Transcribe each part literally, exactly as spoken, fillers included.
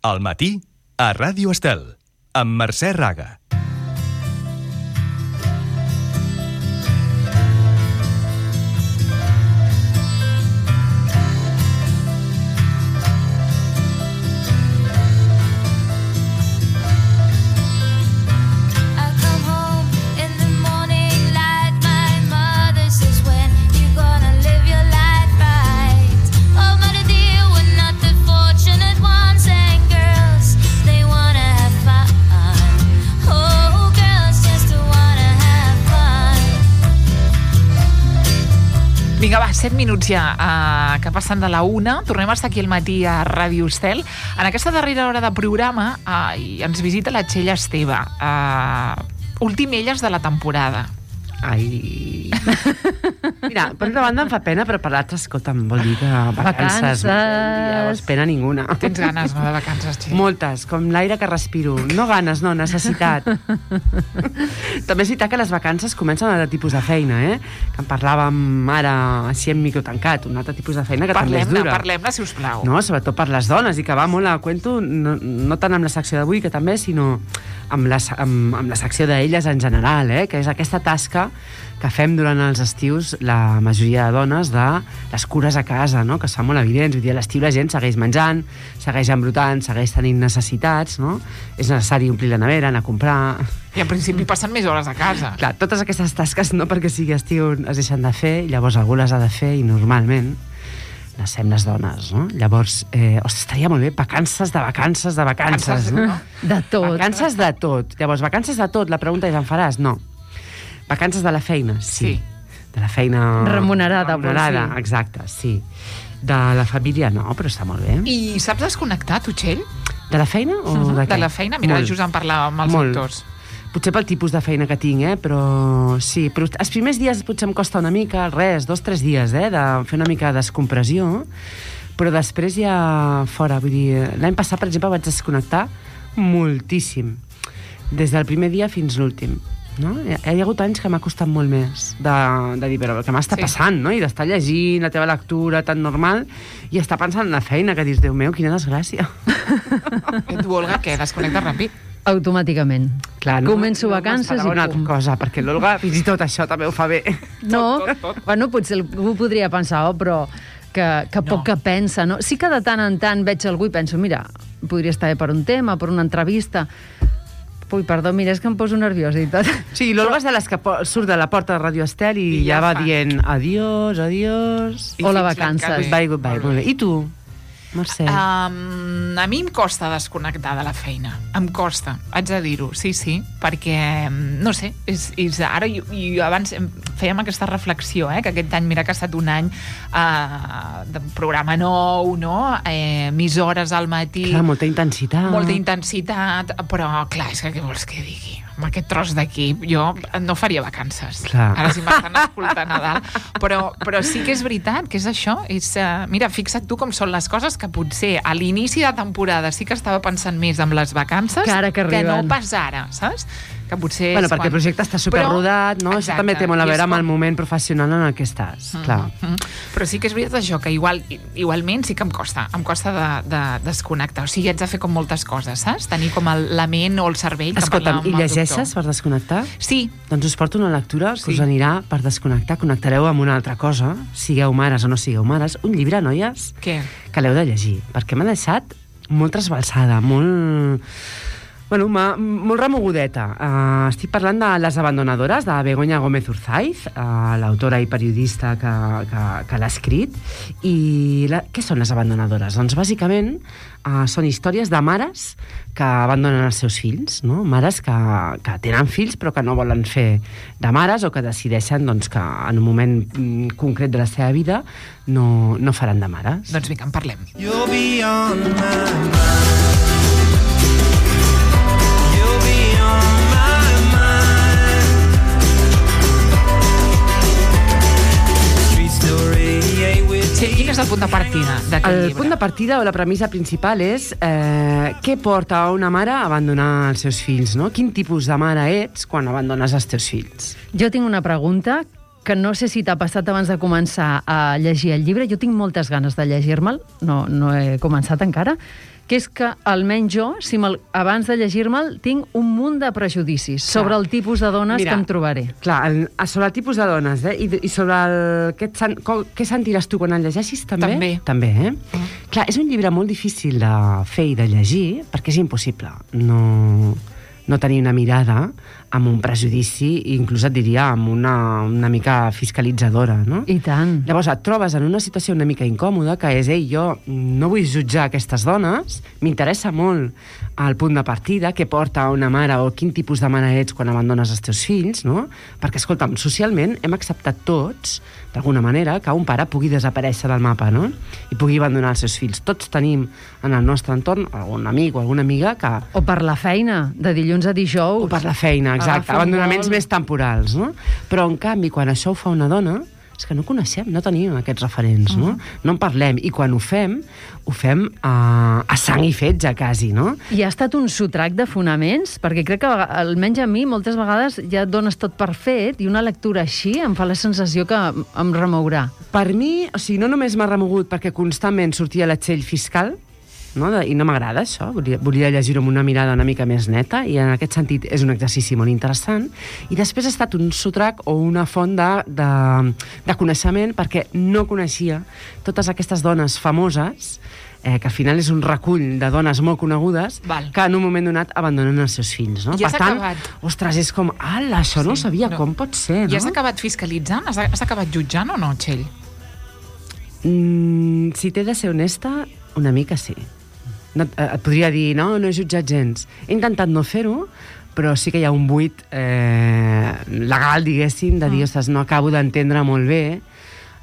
Al matí, a Ràdio Estel, amb Mercè Raga. Vinga, va, set minuts ja uh, que passen de la una. Tornem a estar aquí al matí a Ràdio Estel. En aquesta darrera hora de programa uh, ens visita la Txell Esteve. Uh, últim elles de la temporada. Ai... Mira, per una banda em fa pena, però per l'altra, escolta'm, vol dir que vacances... Vacances... Pena ninguna. Tens ganes, no, de vacances, Txell? Moltes, com l'aire que respiro. No ganes, no, necessitat. També és veritat que les vacances comencen un altre tipus de feina, eh? Que en parlàvem ara, així en micro tancat, un altre tipus de feina que també és dura. Parlem-ne, si us plau. No, sobretot per les dones, i que va molt a cuento, no, no tant amb la secció d'avui, que també, sinó amb la, amb, amb la secció d'elles en general, eh? Que és aquesta tasca que fem durant els estius la majoria de dones de les cures a casa, no? Que són molt evidents. Vull dir, a l'estiu la gent segueix menjant, segueix embrutant, segueix tenint necessitats, no? És necessari omplir la nevera, anar a comprar... I en principi passen més hores a casa. Clar, totes aquestes tasques no perquè sigui estiu es deixen de fer, i llavors algú les ha de fer, i normalment les fem les dones, no? Llavors, eh, ostres, estaria molt bé, vacances de vacances de vacances, no? De tot. Vacances de tot. Llavors, vacances de tot, la pregunta és, en faràs? No. Vacances de la feina, sí. sí. De la feina... Remunerada. Remunerada, sí. Exacte, sí. De la família no, però està molt bé. I saps desconnectar, tu, Txell? De la feina o uh-huh. de què? De la feina, mira, molt. Just en parlàvem amb els molt. autors. Potser pel tipus de feina que tinc, eh? Però sí, però els primers dies potser em costa una mica, res, dos, tres dies, eh? De fer una mica de descompressió, però després ja fora, vull dir, l'any passat, per exemple, vaig desconnectar moltíssim, des del primer dia fins l'últim. No? Hi ha, hi ha hagut anys que m'ha costat molt més de, de dir, però què m'està sí. passant, no? I d'estar llegint la teva lectura tan normal i estar pensant en la feina, que dius, Déu meu, quina desgràcia. I tu, Olga, què? Desconnectes ràpid? Automàticament. Clar, no, Començo no vacances i una pum. altra cosa, perquè l'Olga fins i tot això també ho fa bé. No, tot, tot, tot. Bueno, potser algú podria pensar, oh, però que, que poc no. que pensa, no? Sí que de tant en tant veig algú i penso, mira, podria estar bé per un tema, per una entrevista... Ui, perdó, mira, és que em poso nerviosa i tot. Sí, l'Olga és de les que surt de la porta de Ràdio Estel i, I ja, ja va fa. dient adiós, adiós... Hola, vacances. Goodbye, goodbye. Molt bé. I tu, Mercè? Um, a mi em costa desconnectar de la feina. Em costa, haig de dir-ho, sí, sí, perquè, no sé, és, és ara, i, i abans fèiem aquesta reflexió, eh, que aquest any, mira que ha estat un any uh, de programa nou, no? Eh, més hores al matí. Clar, molta intensitat. Molta intensitat, però, clar, és que què vols que digui? Amb aquest tros d'aquí, jo no faria vacances. Clar. Ara si m'estan escoltant a dalt. Però, però sí que és veritat, que és això. És, uh, mira, fixa't tu com són les coses, que potser a l'inici de temporada sí que estava pensant més en les vacances que, ara que, que no pas ara, saps? Que potser bueno, perquè quan... el projecte està superrodat, no? Exacte, això també té molt a veure amb com... el moment professional en el que estàs, mm-hmm. clar. Mm-hmm. Però sí que és veritat això, que igual, igualment sí que em costa, em costa de, de desconnectar. O sigui, haig de fer com moltes coses, saps? Tenir com el, la ment o el cervell... Escolta'm, i llegeixes per desconnectar? Sí. Doncs us porto una lectura que sí. us anirà per desconnectar. Connectareu amb una altra cosa, sigueu mares o no sigueu mares. Un llibre, noies, Què? que l'heu de llegir, perquè m'ha deixat molt trasbalsada, molt... Bueno, molt remogudeta. Uh, estic parlant de Les abandonadores, de Begoña Gómez Urzaiz, uh, l'autora i periodista que, que, que l'ha escrit. I la, què són les abandonadores? Doncs bàsicament uh, són històries de mares que abandonen els seus fills, no? Mares que, que tenen fills però que no volen fer de mares o que decideixen doncs, que en un moment concret de la seva vida no, no faran de mares. Doncs vinga, en parlem. You'll be on my mind. Sí, quin és el punt de partida d'aquest el llibre? El punt de partida o la premissa principal és eh, què porta a una mare a abandonar els seus fills, no? Quin tipus de mare ets quan abandones els teus fills? Jo tinc una pregunta que no sé si t'ha passat abans de començar a llegir el llibre. Jo tinc moltes ganes de llegir-me'l, no, no he començat encara. que és que almenys jo, si abans de llegir-me'l, tinc un munt de prejudicis clar. sobre el tipus de dones Mira, que em trobaré. Clar, el, sobre el tipus de dones, eh? I, i sobre el... Què, et, com, què sentiràs tu quan el llegeixis, també? També. També, eh? Mm. Clar, és un llibre molt difícil de fer i de llegir, perquè és impossible no, no tenir una mirada amb un prejudici, i inclús et diria amb una, una mica fiscalitzadora, no? I tant. Llavors et trobes en una situació una mica incòmoda, que és, ei, jo no vull jutjar aquestes dones, m'interessa molt el punt de partida, què porta una mare o quin tipus de mare ets quan abandones els teus fills, no? Perquè, escolta'm, socialment hem acceptat tots, d'alguna manera, que un pare pugui desaparèixer del mapa, no? I pugui abandonar els seus fills. Tots tenim en el nostre entorn algun amic o alguna amiga que... O per la feina, de dilluns a dijous. O per la feina, exacte, abandonaments més temporals, no? Però, en canvi, quan això ho fa una dona, és que no coneixem, no tenim aquests referents, no? Uh-huh. No en parlem, i quan ho fem, ho fem a, a sang i fetge, quasi, no? I ha estat un sotrac de fonaments, perquè crec que, almenys a mi, moltes vegades ja dones tot per fet, i una lectura així em fa la sensació que em remourà. Per mi, o sigui, no només m'ha remogut perquè constantment sortia la txell fiscal, no? I no m'agrada això, volia, volia llegir-ho amb una mirada una mica més neta, i en aquest sentit és un exercici molt interessant, i després ha estat un sotrac o una font de, de, de coneixement, perquè no coneixia totes aquestes dones famoses, eh, que al final és un recull de dones molt conegudes, Val. que en un moment donat abandonen els seus fills, no? I has per tant, acabat... ostres, és com, ala, això sí, no ho sabia, no. Com pot ser, no? I has acabat fiscalitzant? Has, has acabat jutjant o no, Txell? Mm, si t'he de ser honesta, una mica sí. No, et podria dir, no, no he jutjat gens. He intentat no fer-ho, però sí que hi ha un buit eh, legal, diguéssim, de dir, ostres, no acabo d'entendre molt bé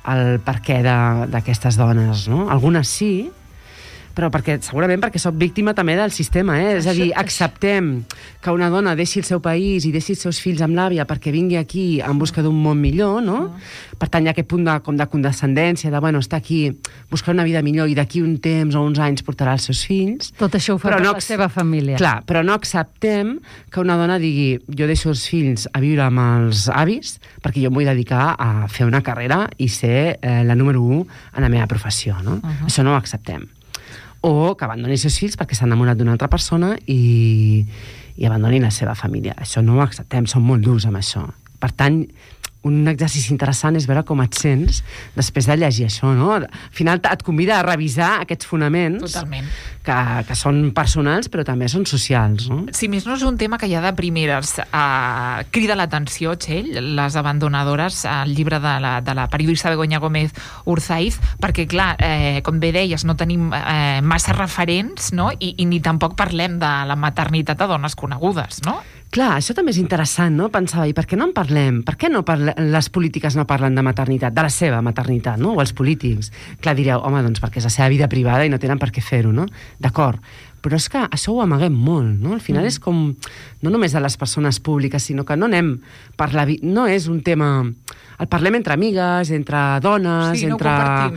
el perquè d'aquestes dones, no? Algunes sí, però perquè, segurament perquè soc víctima també del sistema, eh? És a dir, acceptem que una dona deixi el seu país i deixi els seus fills amb l'àvia perquè vingui aquí en busca d'un món millor, no? Per tant, hi ha aquest punt de, com de condescendència, de, bueno, està aquí buscar una vida millor i d'aquí un temps o uns anys portarà els seus fills. Tot això ho fa per no, la seva família. Clar, però no acceptem que una dona digui, jo deixo els fills a viure amb els avis perquè jo em vull dedicar a fer una carrera i ser eh, la número u en la meva professió, no? Uh-huh. Això no ho acceptem. O que abandonin els seus fills perquè s'han enamorat d'una altra persona i, i abandonin la seva família. Això no ho acceptem, som molt durs amb això. Per tant, un exercici interessant és veure com et sents després de llegir això, no? Al final et convida a revisar aquests fonaments. Totalment. Que, que són personals però també són socials, no? Si més no és un tema que ja de primeres eh, crida l'atenció, Txell, les abandonadores, el llibre de la, de la periodista Begoña Gómez Urzaiz, perquè, clar, eh, com bé deies, no tenim eh, massa referents, no? I, i ni tampoc parlem de la maternitat a dones conegudes, no? Clar, això també és interessant, no? Pensava, i per què no en parlem? Per què no parle... les polítiques no parlen de maternitat, de la seva maternitat, no? O els polítics. Clar, direu, home, doncs perquè és la seva vida privada i no tenen per què fer-ho, no? D'acord. Però és que això ho amaguem molt, no? Al final mm. és com, no només de les persones públiques, sinó que no anem per la vida... No és un tema... El parlem entre amigues, entre dones, sí, no entre,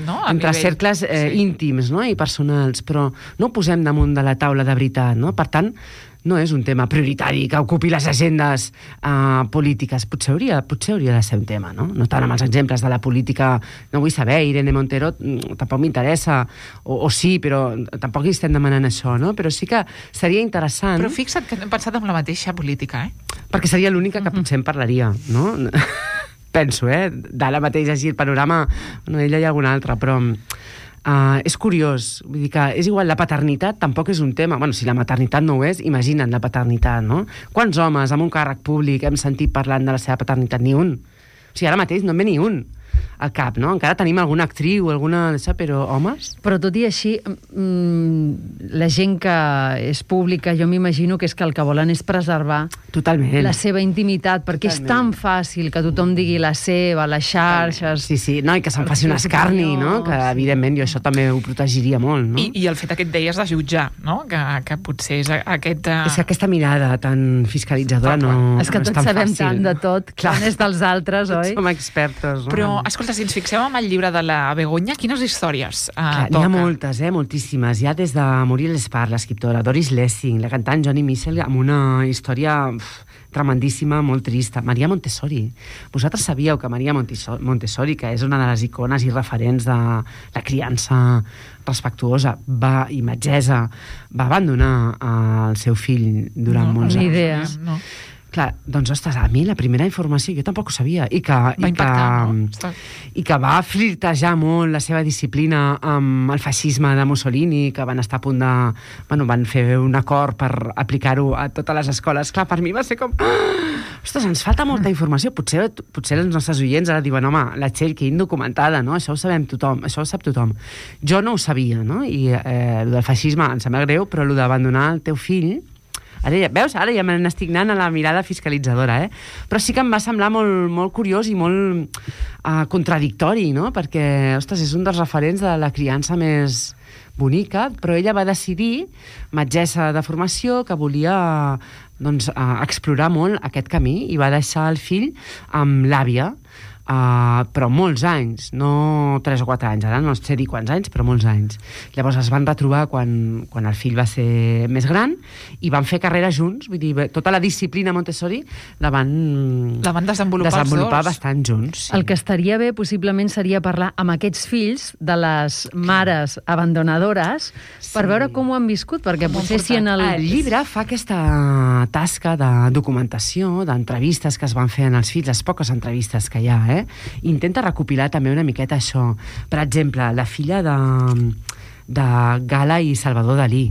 no? entre nivell... cercles eh, sí. íntims, no? I personals, però no ho posem damunt de la taula de veritat, no? Per tant, no és un tema prioritari que ocupi les agendes uh, polítiques. Potser hauria, potser hauria de ser un tema, no? No tant amb els exemples de la política, no vull saber, Irene Montero tampoc m'interessa, o, o sí, però tampoc hi estem demanant això, no? Però sí que seria interessant... Però fixa't que hem pensat en la mateixa política, eh? Perquè seria l'única que potser en parlaria, no? Penso, eh? D'ara mateix així el panorama, no, ella hi ha alguna altra, però... Uh, és curiós, vull dir que és igual, la paternitat tampoc és un tema, bueno, si la maternitat no ho és, imagina't la paternitat, no? Quants homes amb un càrrec públic hem sentit parlant de la seva paternitat? Ni un. O sigui, ara mateix no en ve ni un al cap, no? Encara tenim alguna actriu, alguna... però homes? Però tot i així, mmm, la gent que és pública, jo m'imagino que és que el que volen és preservar Totalment. La seva intimitat, perquè Totalment. És tan fàcil que tothom digui la seva, les xarxes... Sí, sí, no, i que se'n faci un escarni, no? Que, evidentment, jo això també ho protegiria molt, no? I, i el fet que et deies de jutjar, no? Que, que potser és aquest... Uh... És que aquesta mirada tan fiscalitzadora no, és que no és tots tan sabem fàcil. Tant de tot, Clar. Quan és dels altres, oi? Som expertos, no? Però escolta, si ens fixem en el llibre de la Begoña, quines històries uh, Clar, toca? n'hi ha moltes, eh? Moltíssimes. Hi ha des de Muriel Espart, l'escriptora, Doris Lessing, la cantant Johnny Mitchell, amb una història uf, tremendíssima, molt trista. Maria Montessori. Vosaltres sabíeu que Maria Montessori, Montessori, que és una de les icones i referents de la criança respectuosa va, i metgessa, va abandonar el seu fill durant no, molts ni anys. idea. No. Clar, doncs, ostres, a mi la primera informació jo tampoc ho sabia. I que, Va i impactar, que, no? I que va flirtejar molt la seva disciplina amb el feixisme de Mussolini, que van estar a punt de... Bueno, van fer un acord per aplicar-ho a totes les escoles. Clar, per mi va ser com... Ostres, ens falta molta informació. Potser, potser els nostres oients ara diuen, home, la Txell, que indocumentada, no? Això ho sabem tothom, això ho sap tothom. Jo no ho sabia, no? I eh, el del feixisme em sembla greu, però el d'abandonar el teu fill... Ara ja, veus? Ara ja me n'estic anant a la mirada fiscalitzadora, eh? Però sí que em va semblar molt, molt curiós i molt uh, contradictori, no? Perquè, ostres, és un dels referents de la criança més bonica, però ella va decidir, metgessa de formació, que volia doncs, uh, explorar molt aquest camí i va deixar el fill amb l'àvia, Uh, però molts anys, no tres o quatre anys, ara no sé dir quants anys, però molts anys. Llavors es van retrobar quan, quan el fill va ser més gran i van fer carrera junts, vull dir, tota la disciplina Montessori la van, la van desenvolupar, desenvolupar els dos. bastant junts. Sí. El que estaria bé, possiblement, seria parlar amb aquests fills de les mares abandonadores sí. per veure com ho han viscut, perquè Molt potser si en el... El llibre fa aquesta tasca de documentació, d'entrevistes que es van fer en els fills, les poques entrevistes que hi ha, eh? Intenta recopilar també una miqueta això. Per exemple, la filla de, de Gala i Salvador Dalí,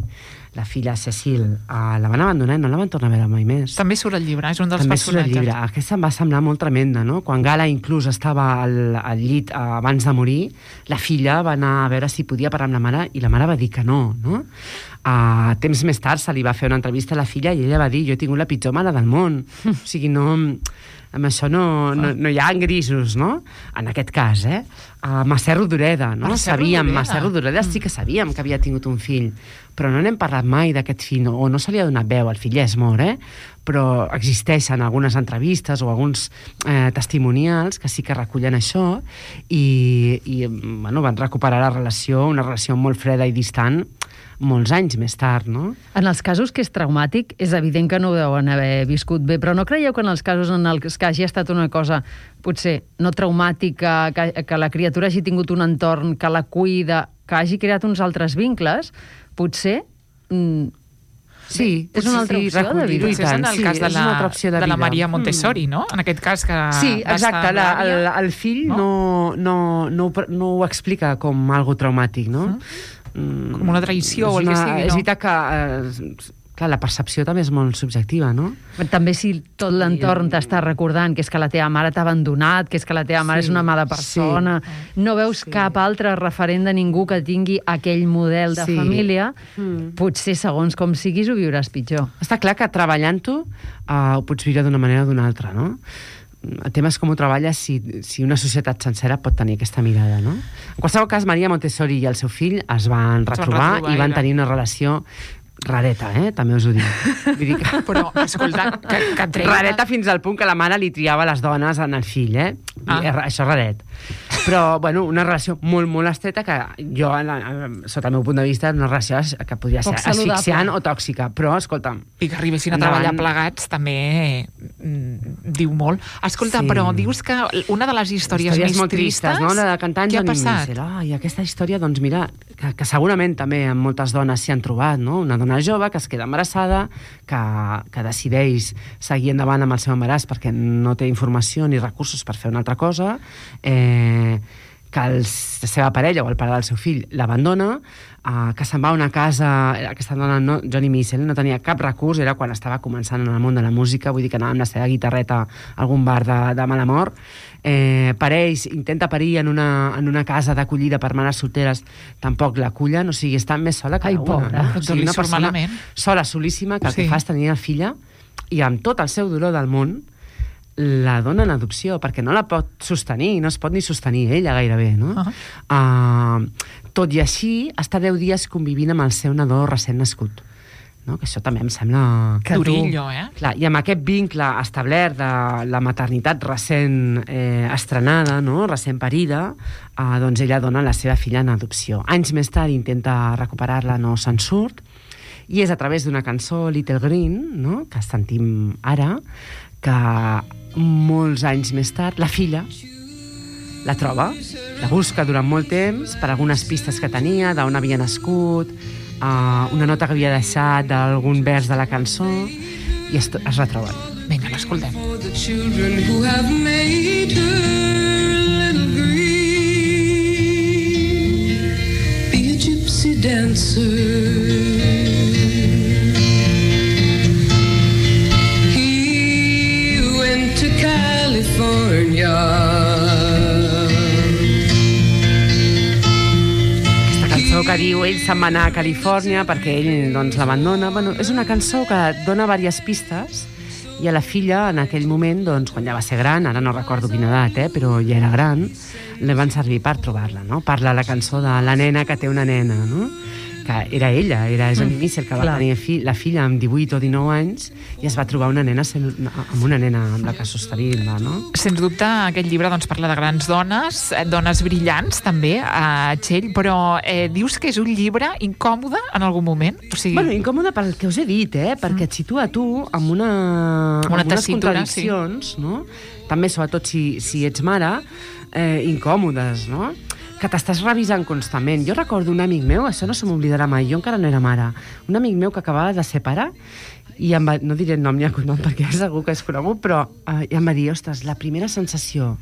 la filla Cecil, uh, la van abandonar i no la van tornar a veure mai més. També surt el llibre, és un dels També surt el personatges. llibre. Aquesta em va semblar molt tremenda, no? Quan Gala inclús estava al, al llit uh, abans de morir, la filla va anar a veure si podia parlar amb la mare i la mare va dir que no, no? Uh, temps més tard se li va fer una entrevista a la filla i ella va dir, jo he tingut la pitjor mare del món. O sigui, no... Amb això no, no, no hi ha grisos, no? En aquest cas, eh? Uh, Mercè Rodoreda, no? Mercè Sabíem, Rodoreda. Mercè Rodoreda sí que sabíem que havia tingut un fill, però no n'hem parlat mai d'aquest fill, no, o no se li ha donat veu, el fill ja és mort, eh? Però existeixen algunes entrevistes o alguns eh, testimonials que sí que recullen això i, i bueno, van recuperar la relació, una relació molt freda i distant, molts anys més tard, no? En els casos que és traumàtic, és evident que no ho deuen haver viscut bé, però no creieu que en els casos en els que hagi estat una cosa potser no traumàtica, que, que la criatura hagi tingut un entorn que la cuida, que hagi creat uns altres vincles, potser... Mm, Sí, és una altra sí, opció de recollir-ho vida. i Potser és en tant. el Sí, cas de és una la, altra opció de de la vida. Maria Montessori, no? En aquest cas que... Sí, va estar exacte, amb la, el, l'àvia. el fill No? no, no, no, ho, no ho explica com algo traumàtic, no? Mm. Com una traïció És o el que una- sigui, no? És veritat que eh, clar, la percepció també és molt subjectiva, no? També si tot l'entorn t'està recordant que és que la teva mare t'ha abandonat, que és que la teva mare Sí, és una mala persona, no veus Sí. cap altre referent de ningú que tingui aquell model de Sí. família, Mm. potser segons com siguis ho viuràs pitjor. Està clar que treballant-ho uh, ho pots viure d'una manera o d'una altra, no? El tema és com ho treballes si, si una societat sencera pot tenir aquesta mirada, no? En qualsevol cas, Maria Montessori i el seu fill es van retrobar, retrobar i van i tenir una relació rareta, eh? També us ho dic. Vull dir que... Però, escolta, que, que treia... Rareta fins al punt que la mare li triava les dones en el fill, eh? Ah. I, això és raret. Però, bueno, una relació molt, molt estreta que jo, en la, sota el meu punt de vista, una relació que podria Poc ser saludable. asfixiant o tòxica. Però, escolta'm... I que arribessin a Endavant. treballar plegats també mm, diu molt. Escolta, Sí. però dius que una de les històries, històries més molt tristes, no? La de cantant què ha Johnny passat? Mitchell. Oh, I aquesta història, doncs mira, que, que segurament també amb moltes dones s'hi han trobat, no? Una dona jove que es queda embarassada, que, que decideix seguir endavant amb el seu embaràs perquè no té informació ni recursos per fer una altra cosa, eh, que el, la seva parella o el pare del seu fill l'abandona, eh, que se'n va a una casa, aquesta dona, no, Johnny Mitchell, no tenia cap recurs, era quan estava començant en el món de la música, vull dir que anava amb la seva guitarreta a algun bar de, de mala mort, eh, pareix, intenta parir en una, en una casa d'acollida per mares solteres, tampoc l'acullen, o sigui, està més sola que Ai, una. pobra. No? O sigui, Li una surt persona malament. sola, solíssima, que el Sí. que fa és tenir una filla i amb tot el seu dolor del món la dona en adopció, perquè no la pot sostenir, no es pot ni sostenir ella gairebé, no? Uh-huh. Uh, tot i així, està deu dies convivint amb el seu nadó recent nascut. no? Que això també em sembla... Que durillo, eh? Clar, i amb aquest vincle establert de la maternitat recent eh, estrenada, no? Recent parida, eh, doncs ella dona la seva filla en adopció. Anys més tard intenta recuperar-la, no se'n surt, i és a través d'una cançó, Little Green, no? Que sentim ara, que molts anys més tard la filla la troba, la busca durant molt temps per algunes pistes que tenia, d'on havia nascut, uh, una nota que havia deixat d'algun vers de la cançó, i es, es retroben. Vinga, l'escoltem. For the children who have made her little green, be a gypsy dancer. He went to California. Cançó que diu ell se'n va anar a Califòrnia perquè ell doncs, l'abandona. Bueno, és una cançó que dona diverses pistes i a la filla en aquell moment, doncs, quan ja va ser gran, ara no recordo quina edat, eh, però ja era gran, li van servir per trobar-la, no? Parla la cançó de la nena que té una nena, no? Que era ella, era Johnny Mm, Mitchell, que va clar. tenir fi, la filla amb divuit o dinou anys i es va trobar una nena sent, amb una nena amb la que sostenir-la, no? Sens dubte, aquest llibre doncs, parla de grans dones, eh, dones brillants, també, a Txell, però eh, dius que és un llibre incòmode en algun moment? O sigui... Bueno, incòmode pel que us he dit, eh? Perquè et situa tu amb, una, Una amb unes tessitura, contradiccions, no? També, sobretot, si, si ets mare, eh, incòmodes, no? Que t'estàs revisant constantment. Jo recordo un amic meu, això no se m'oblidarà mai, jo encara no era mare, un amic meu que acabava de ser pare i em va, no diré el nom ni el cognom perquè segur que és conegut, però eh, em va dir, ostres, la primera sensació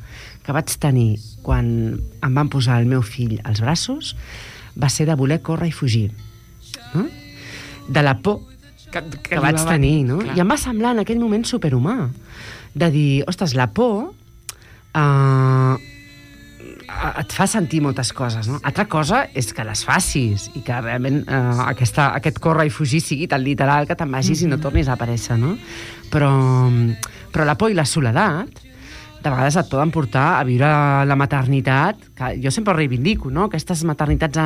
que vaig tenir quan em van posar el meu fill als braços va ser de voler córrer i fugir. No? De la por que, que, que vaig tenir, no? Clar. I em va semblar en aquell moment superhumà, de dir, ostres, la por eh, et fa sentir moltes coses, no? Altra cosa és que les facis i que realment eh, aquesta, aquest córrer i fugir sigui tan literal que te'n vagis mm-hmm. i no tornis a aparèixer, no? Però, però la por i la soledat de vegades et poden portar a viure la maternitat, que jo sempre ho reivindico, no? Aquestes maternitats a,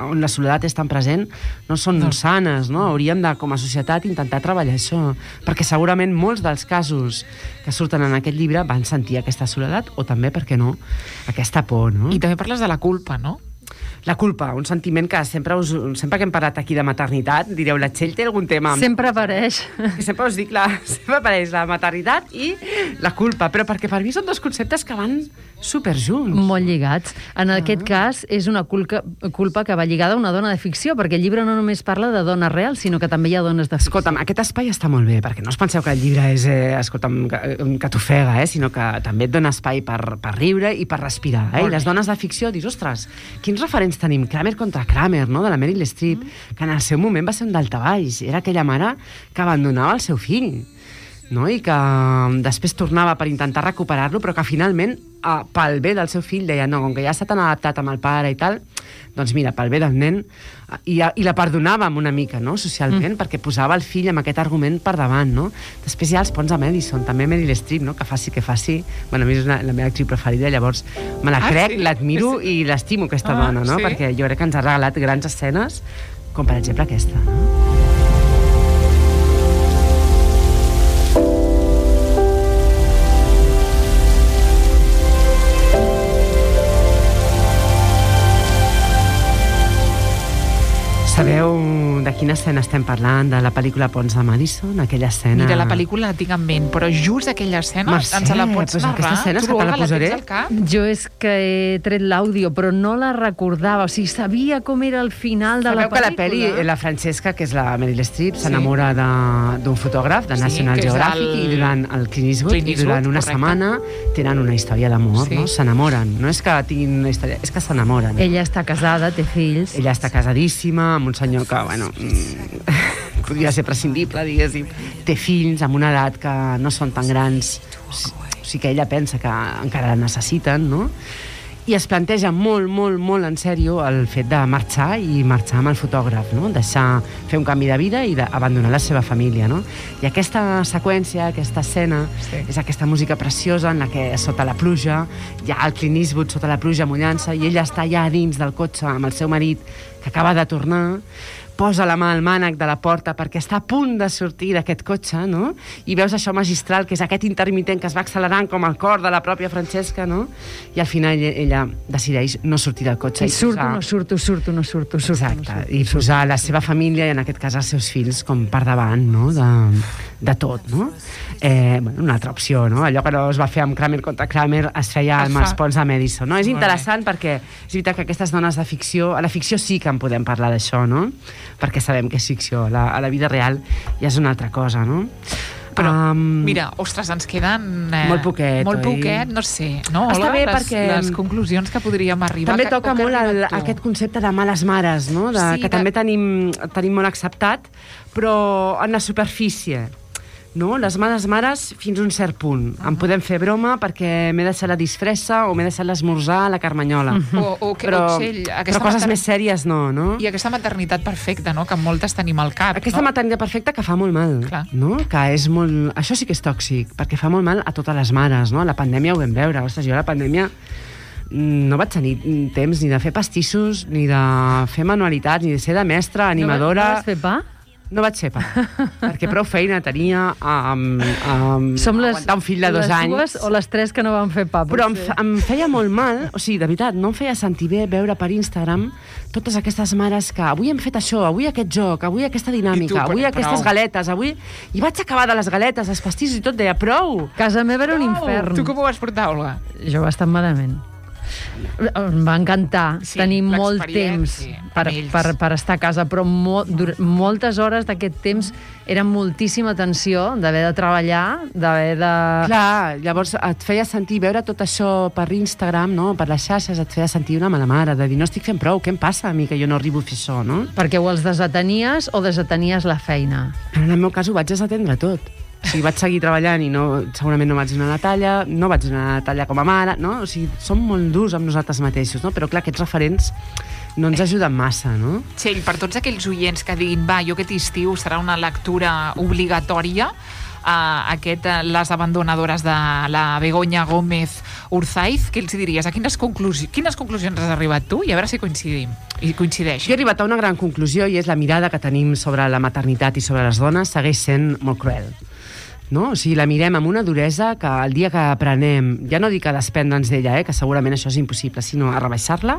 on la soledat és tan present no són no. sanes, no? Hauríem de, com a societat, intentar treballar això, perquè segurament molts dels casos que surten en aquest llibre van sentir aquesta soledat o també, per què no, aquesta por, no? I també parles de la culpa, no? La culpa, un sentiment que sempre, us, sempre que hem parlat aquí de maternitat, direu, la Txell té algun tema... Amb... Sempre apareix. Que sempre us dic, la, sempre apareix la maternitat i la culpa, però perquè per mi són dos conceptes que van superjunts. Molt lligats. En Ah. aquest cas, és una culpa, culpa que va lligada a una dona de ficció, perquè el llibre no només parla de dones reals, sinó que també hi ha dones de ficció. Escolta'm, aquest espai està molt bé, perquè no us penseu que el llibre és, eh, escolta'm, que, que t'ofega, eh, sinó que també et dona espai per, per riure i per respirar. Eh? I les dones de ficció, dius, ostres, quins referents tenim? Kramer contra Kramer, no?, de la Meryl Streep, mm. que en el seu moment va ser un daltabaix. Era aquella mare que abandonava el seu fill, no? I que després tornava per intentar recuperar-lo, però que finalment, eh, pel bé del seu fill, deia, no, com que ja s'ha tan adaptat amb el pare i tal, doncs mira, pel bé del nen, i, i la perdonàvem una mica, no?, socialment, mm. perquè posava el fill amb aquest argument per davant, no? Després hi ha els ponts a Madison, també Meryl Streep, no?, que faci que faci. Bueno, a mi és una, la meva actriu preferida, llavors me la Ah, crec, sí? l'admiro i l'estimo, aquesta Ah, dona, no?, sí? perquè jo crec que ens ha regalat grans escenes, com per exemple aquesta, no? Sabeu de quina escena estem parlant? De la pel·lícula Ponts de Madison, aquella escena... Mira, la pel·lícula la tinc en ment, però just aquella escena Mercè, ens la pots pues narrar? aquesta escena és Tu, que te la Olga, posaré. tens al cap? Jo és que he tret l'àudio, però no la recordava. O sigui, sabia com era el final de Sabeu la que la pel·lícula. pel·li, la Francesca, que és la Meryl Streep, s'enamora de- d'un fotògraf de Sí, National que és Geographic el- i durant el Clint Eastwood, Clint i durant Eastwood, una correcte. setmana tenen una història d'amor, Sí. no? S'enamoren. No és que tinguin una història, és que s'enamoren. Ella està casada, té fills. Ella està casadíssima amb un senyor que, bueno, mm, podria ser prescindible, diguéssim. Té fills amb una edat que no són tan grans, o sigui que ella pensa que encara la necessiten, no? I es planteja molt, molt, molt en sèrio el fet de marxar i marxar amb el fotògraf, no? Deixar, fer un canvi de vida i d'abandonar la seva família, no? I aquesta seqüència, aquesta escena, Sí. és aquesta música preciosa en la que sota la pluja hi ha el Clint Eastwood sota la pluja mullant-se i ella està allà dins del cotxe amb el seu marit que acaba de tornar, posa la mà al mànec de la porta perquè està a punt de sortir d'aquest cotxe, no? I veus això magistral, que és aquest intermitent que es va accelerant com el cor de la pròpia Francesca, no? I al final ella decideix no sortir del cotxe. I surto, posar... no surto, surto, no surto, surto. Exacte, no surto, i posar la seva família i en aquest cas els seus fills com per davant, no? De, de tot, no? Eh, bueno, una altra opció, no? Allò que no es va fer amb Kramer contra Kramer es feia amb els ponts de Madison, no? És interessant perquè és veritat que aquestes dones de ficció, a la ficció sí que en podem parlar d'això, no? Perquè sabem que és ficció, la, a la vida real ja és una altra cosa, no? Però, um, mira, ostres, ens queden... Eh, molt poquet, Molt oi? poquet, no sé, no? Està Hola, bé les, perquè... les conclusions que podríem arribar... També que, toca que molt el, arribat tu. aquest concepte de males mares, no? De, Sí, que de- també tenim, tenim molt acceptat, però en la superfície. No? Les males mares fins a un cert punt. En podem fer broma perquè m'he deixat la disfressa o m'he deixat l'esmorzar a la Carmanyola. O, o, que, Però, o Txell, aquesta però coses mater- més sèries no, no? I aquesta maternitat perfecta, no?, que moltes tenim al cap, Aquesta no? maternitat perfecta que fa molt mal, Clar. no? Que és molt... Això sí que és tòxic, perquè fa molt mal a totes les mares, no? La pandèmia ho vam veure. Ostres, jo a la pandèmia mm, no vaig tenir temps ni de fer pastissos, ni de fer manualitats, ni de ser de mestra, animadora... No, no vas fer pa? No vaig ser pa, perquè prou feina tenia amb, amb Som les, aguantar un fill de dos les anys. dues o les tres que no van fer pa, Però em, potser. f- em feia molt mal, o sigui, de veritat, no em feia sentir bé veure per Instagram totes aquestes mares que avui hem fet això, avui aquest joc, avui aquesta I tu, dinàmica, però avui aquestes prou. galetes, avui... I vaig acabar de les galetes, els pastissos i tot, deia, prou! Casa meva era un Oh, infern. tu com ho vas portar, Olga? Jo bastant malament. Em va encantar Sí, tenir molt temps l'experiència per, amb ells. per, per estar a casa, però mo, dur, moltes hores d'aquest temps era moltíssima tensió d'haver de treballar, d'haver de... Clar, llavors et feia sentir, veure tot això per Instagram, no? Per les xarxes, et feia sentir una mala mare, de dir, no estic fent prou, què em passa a mi que jo no arribo a fer això, no? Perquè o els desatenies o desatenies la feina. Però en el meu cas ho vaig desatendre tot. O sigui, vaig seguir treballant i no, segurament no vaig donar la talla, no vaig donar la talla com a mare, no? O sigui, som molt durs amb nosaltres mateixos, no? Però clar, aquests referents no ens ajuden massa, no? Txell, per tots aquells oients que diguin, va, jo aquest estiu serà una lectura obligatòria, uh, aquest, uh, Les abandonadores de la Begoña Gómez Urzaiz, què els diries? A quines, conclusi quines conclusions has arribat tu? I a veure si coincidim. I coincideix. Jo he arribat a una gran conclusió i és la mirada que tenim sobre la maternitat i sobre les dones segueix sent molt cruel. No? O sigui, la mirem amb una duresa que el dia que aprenem, ja no dic a desprendre'ns d'ella, eh, que segurament això és impossible, sinó a rebaixar-la,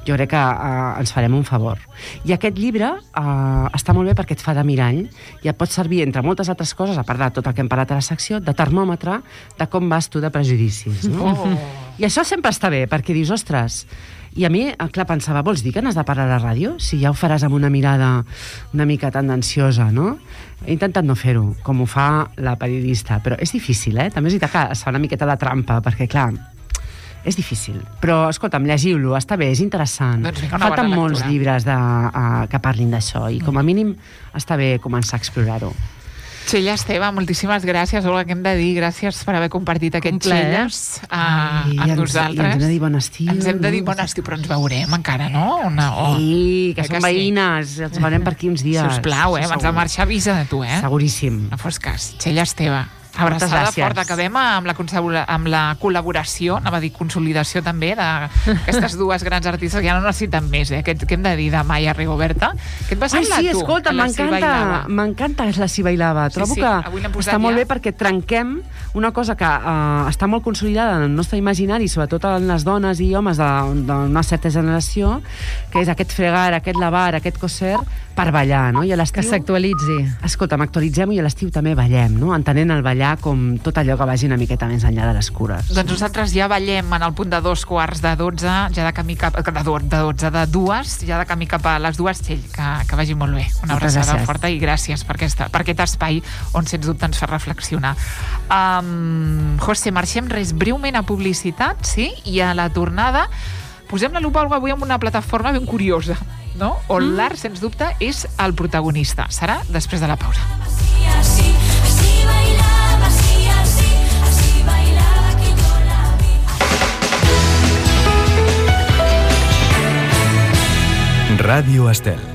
jo crec que eh, ens farem un favor. I aquest llibre eh, està molt bé perquè et fa de mirall i et pot servir, entre moltes altres coses, a part de tot el que hem parlat a la secció, de termòmetre de com vas tu de prejudicis. No? Oh. I això sempre està bé, perquè dius, ostres... I a mi, clar, pensava, vols dir que n'has de parlar a la ràdio? Si ja ho faràs amb una mirada una mica tendenciosa, no? He intentat no fer-ho, com ho fa la periodista, però és difícil, eh? També és veritat que es fa una miqueta de trampa, perquè, clar, és difícil. Però, escolta'm, llegiu-lo, està bé, és interessant. Doncs vinga, una Falten bona molts lectura. llibres de, uh, que parlin d'això, i com a mínim està bé començar a explorar-ho. Txell Esteve, moltíssimes gràcies, Olga, que hem de dir, gràcies per haver compartit aquest Un plaer. Txelles uh, Ai, i amb ens- nosaltres. i ens hem de dir bon estiu, Ens hem de dir no? bon estiu, però ens veurem encara, no? Una, oh. Sí, que Eh són sí? veïnes, ens veurem per aquí uns dies. Sisplau, eh? Abans de Segur. marxar, avisa de tu, eh? Seguríssim. No fos cas. Txell Esteve. Abraçada gràcies. forta. Acabem amb la, consabula- amb la col·laboració, anava a dir consolidació també, d'aquestes dues grans artistes que ja no necessiten més, eh? Què, què hem de dir de Maya Rigoberta? Què et va Ai, semblar sí, tu? escolta, a la Si m'encanta, Bailava? m'encanta la Si Bailava. Sí, Trobo sí, que avui l'hem posat està molt ja. bé perquè trenquem una cosa que uh, està molt consolidada en el nostre imaginari, sobretot en les dones i homes de- d'una certa generació, que és aquest fregar, aquest lavar, aquest coser, per ballar, no? I a Que l'estiu... s'actualitzi. Escolta, actualitzem-ho i a l'estiu també ballem, no? Entenent el ballar com tot allò que vagi una miqueta més enllà de les cures. Doncs nosaltres ja ballem en el punt de dos quarts de dotze, ja de camí cap... De, do- de dotze, de dues, ja de camí cap a les dues, Txell, que, que vagi molt bé. Una Moltes abraçada gràcies. forta i gràcies per, aquesta, per aquest espai on, sens dubte, ens fa reflexionar. Um, José, marxem res breument a publicitat, sí? I a la tornada posem la lupa avui en una plataforma ben curiosa, no? On mm. l'art, sens dubte, és el protagonista. Serà després de la pausa. Así, así, así bailaba, así, así, así bailaba que yo la vi. Ràdio Estel.